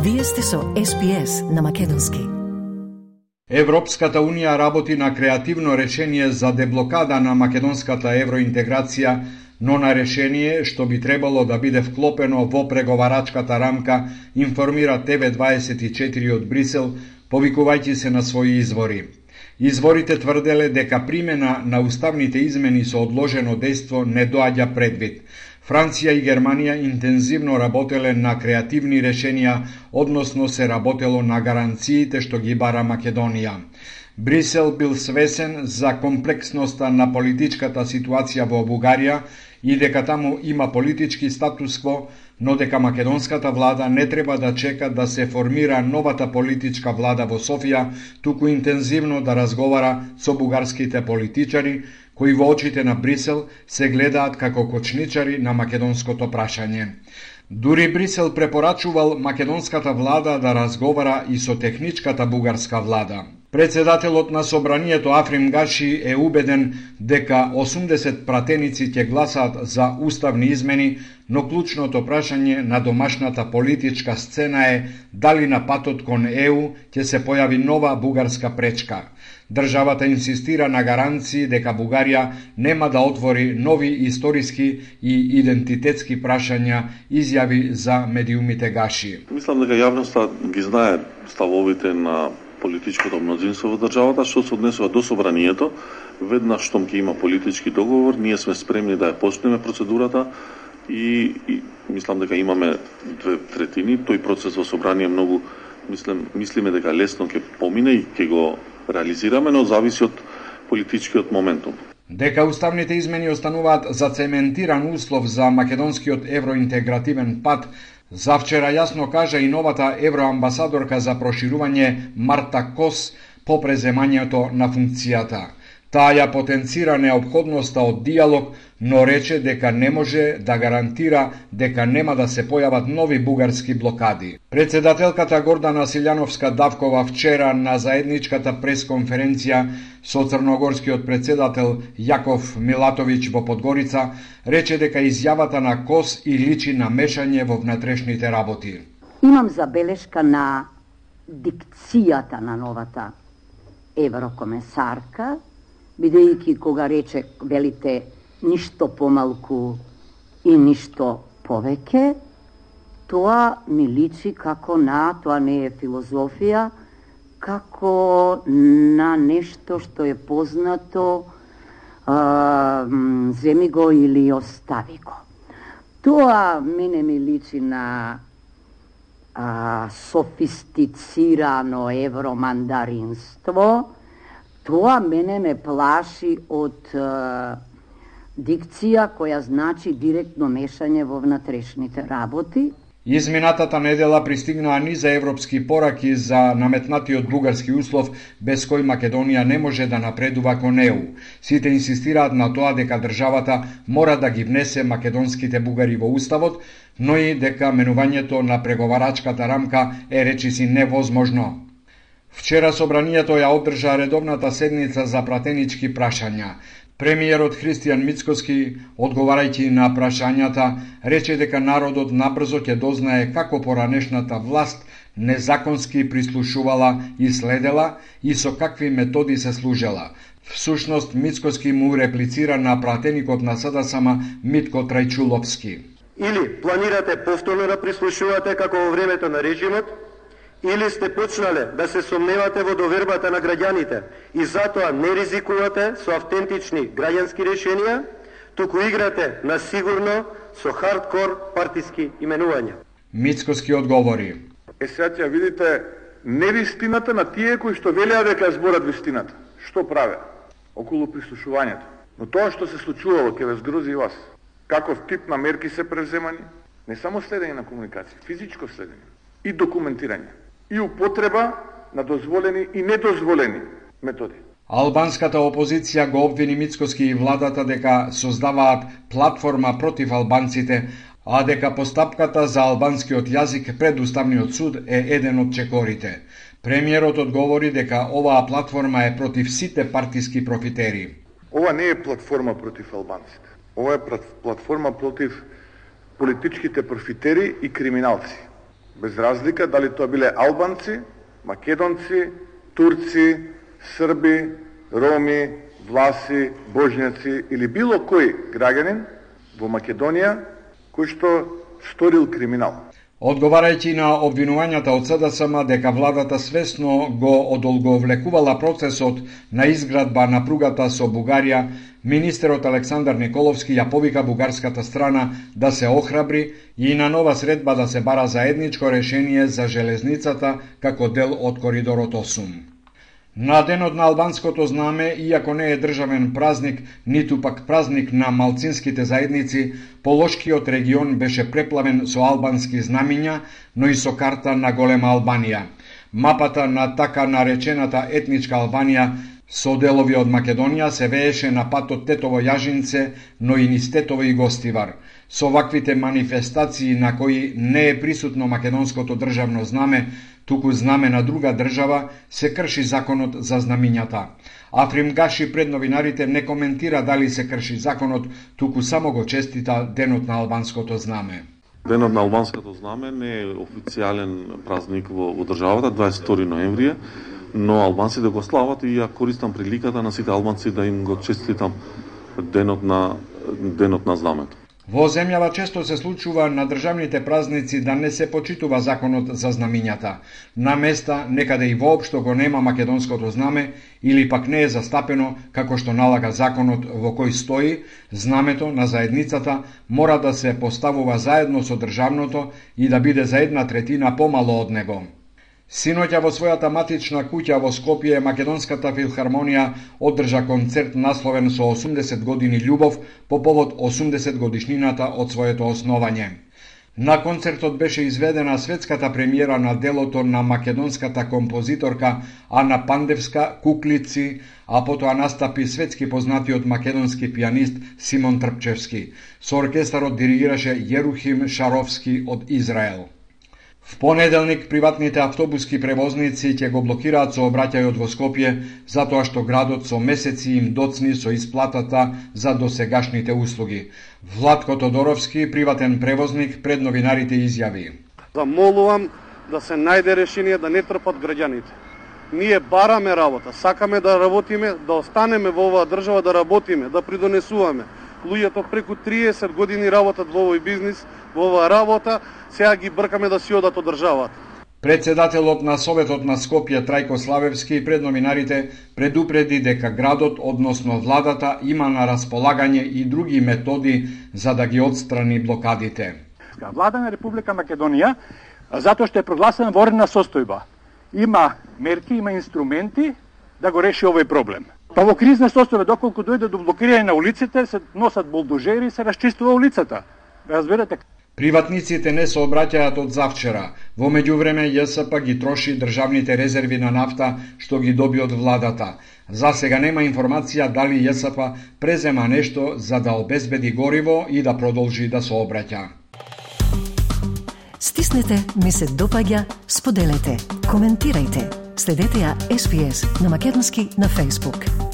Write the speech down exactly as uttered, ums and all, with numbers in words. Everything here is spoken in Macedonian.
Вие сте со Ес Би Ес на македонски. Европската Унија работи на креативно решение за деблокада на македонската евроинтеграција, но на решение што би требало да биде вклопено во преговарачката рамка, информира Те Ве дваесет и четири од Брисел, повикувајќи се на своји извори. Изворите тврделе дека примена на уставните измени со одложено дејство не доаѓа предвид. Франција и Германија интензивно работеле на креативни решенија, односно се работело на гаранциите што ги бара Македонија. Брисел бил свесен за комплексноста на политичката ситуација во Бугарија и дека таму има политички статус-кво, но дека македонската влада не треба да чека да се формира новата политичка влада во Софија, туку интензивно да разговара со бугарските политичари, кои во очите на Брисел се гледаат како кочничари на македонското прашање. Дури Брисел препорачувал македонската влада да разговара и со техничката бугарска влада. Председателот на собранието Африм Гаши е убеден дека осумдесет пратеници ќе гласаат за уставни измени, но клучното прашање на домашната политичка сцена е дали на патот кон Е У ќе се појави нова бугарска пречка. Државата инсистира на гаранции дека Бугарија нема да отвори нови историски и идентитетски прашања, изјави за медиумите Гаши. Мислам дека јавноста ги знае ставовите на политичкото мнозинство во државата, што се однесува до собранието. Веднаш штом ќе има политички договор, ние сме спремни да ја почнеме процедурата и, и мислам дека имаме две третини. Тој процес во собрание многу, мислим, мислиме дека лесно ќе помине и ќе го реализираме, но зависи од политичкиот моментум. Дека уставните измени остануваат зацементиран услов за македонскиот евроинтегративен пат, завчера јасно кажа и новата евроамбасадорка за проширување Марта Кос по преземањето на функцијата. Таа ја потенцира неопходноста од диалог, но рече дека не може да гарантира дека нема да се појават нови бугарски блокади. Председателката Гордана Силјановска-Давкова вчера на заедничката пресконференција со црногорскиот председател Јаков Милатовиќ во Подгорица рече дека изјавата на Кос и личи на мешање во внатрешните работи. Имам забелешка на дикцијата на новата еврокомесарка, бидејќи кога рече, велите, ништо помалку и ништо повеќе, тоа ми личи како на, тоа не е филозофија, како на нешто што е познато, а, земи го или остави го. Тоа мене ми личи на а, софистицирано евромандаринство. Тоа мене ме плаши од е, дикција која значи директно мешање во внатрешните работи. Изминатата недела пристигнаа низа европски пораки за наметнатиот бугарски услов без кој Македонија не може да напредува кон Е У. Сите инсистираат на тоа дека државата мора да ги внесе македонските бугари во уставот, но и дека менувањето на преговарачката рамка е речиси невозможно. Вчера собранието ја одржа редовната седница за пратенички прашања. Премиерот Христијан Мицкоски, одговарајќи на прашањата, рече дека народот набрзо ќе дознае како поранешната власт незаконски прислушувала и следела и со какви методи се служела. Всушност, Мицкоски му реплицира на пратеникот на СДСМ Митко Трајчуловски. Или планирате повторно да прислушувате како во времето на режимот, или сте почнале да се сомневате во довербата на граѓаните и затоа не ризикувате со автентични граѓански решенија, туку играте на сигурно со хардкор партиски именувања. Мицкоски одговори. Е сега ќе видите невистината на тие кои што велеа дека зборат вистината. Што праве? Околу прислушувањето. Но тоа што се случувало ќе ве згрози и вас. Каков тип на мерки се преземани? Не само следење на комуникација, физичко следење и документирање. И употреба на дозволени и недозволени методи. Албанската опозиција го обвини Мицкоски и владата дека создаваат платформа против албанците, а дека постапката за албанскиот јазик пред Уставниот суд е еден од чекорите. Премиерот одговори дека оваа платформа е против сите партиски профитери. Ова не е платформа против албанците. Ова е платформа против политичките профитери и криминалци. без разлика дали тоа биле албанци, македонци, турци, срби, роми, власи, божњаци или било кој граѓанин во Македонија кој што сторил криминал. Одговарајќи на обвинувањата од СДСМ дека владата свесно го одолговлекувала процесот на изградба на пругата со Бугарија, министерот Александар Николовски ја повика бугарската страна да се охрабри и на нова средба да се бара заедничко решение за железницата како дел од коридорот осум. На денот на албанското знаме, иако не е државен празник, ниту пак празник на малцинските заедници, Полошкиот регион беше преплавен со албански знамиња, но и со карта на голема Албанија. Мапата на така наречената етничка Албанија со делови од Македонија се вееше на патот Тетово-Јажинце, но и низ Тетово и Гостивар. Со ваквите манифестации на кои не е присутно македонското државно знаме, туку знаме на друга држава, се крши законот за знамињата. Африм Гаши пред новинарите не коментира дали се крши законот, туку само го честита денот на албанското знаме. Денот на албанското знаме не е официјален празник во, во државата, дваесет и втори ноември, но албанците го слават и ја користам приликата на сите албанци да им го честитам денот на денот на знамето. Во земјава често се случува на државните празници да не се почитува законот за знамињата. На места некаде и воопшто го нема македонското знаме или пак не е застапено како што налага законот во кој стои, знамето на заедницата мора да се поставува заедно со државното и да биде за една третина помало од него. Синоќа во својата матична куќа во Скопје, Македонската филхармонија одржа концерт насловен со осумдесет години љубов по повод осумдесет годишнината од своето основање. На концертот беше изведена светската премиера на делото на македонската композиторка Ана Пандевска Куклици, а потоа настапи светски познатиот македонски пианист Симон Трпчевски. Со оркестарот диригираше Јерухим Шаровски од Израел. В понеделник приватните автобуски превозници ќе го блокираат сообраќајот во Скопје, затоа што градот со месеци им доцни со исплатата за досегашните услуги. Владко Тодоровски, приватен превозник, пред новинарите изјави: Замолувам да се најде решение да не трпат граѓаните. Ние бараме работа, сакаме да работиме, да останеме во оваа држава, да работиме, да придонесуваме. Луѓето преку триесет години работат во овој бизнис, во оваа работа, сега ги бркаме да си одат од државата. Председателот на Советот на Скопје Трајко Славевски пред новинарите предупреди дека градот, односно владата, има на располагање и други методи за да ги отстрани блокадите. Влада на Република Македонија, затоа што е прогласена военна состојба, има мерки, има инструменти да го реши овој проблем. Па во кризна состојба, доколку дојде до блокирање на улиците, се носат булдожери и се расчистува улицата. Разбирате? Приватниците не се обраќаат од завчера. Во меѓувреме ЈСП ги троши државните резерви на нафта што ги доби од владата. За сега нема информација дали ЈСП презема нешто за да обезбеди гориво и да продолжи да се обраќа. Стиснете, ми се допаѓа, споделете, коментирајте. Следете ја Ес Би Ес на македонски на Facebook.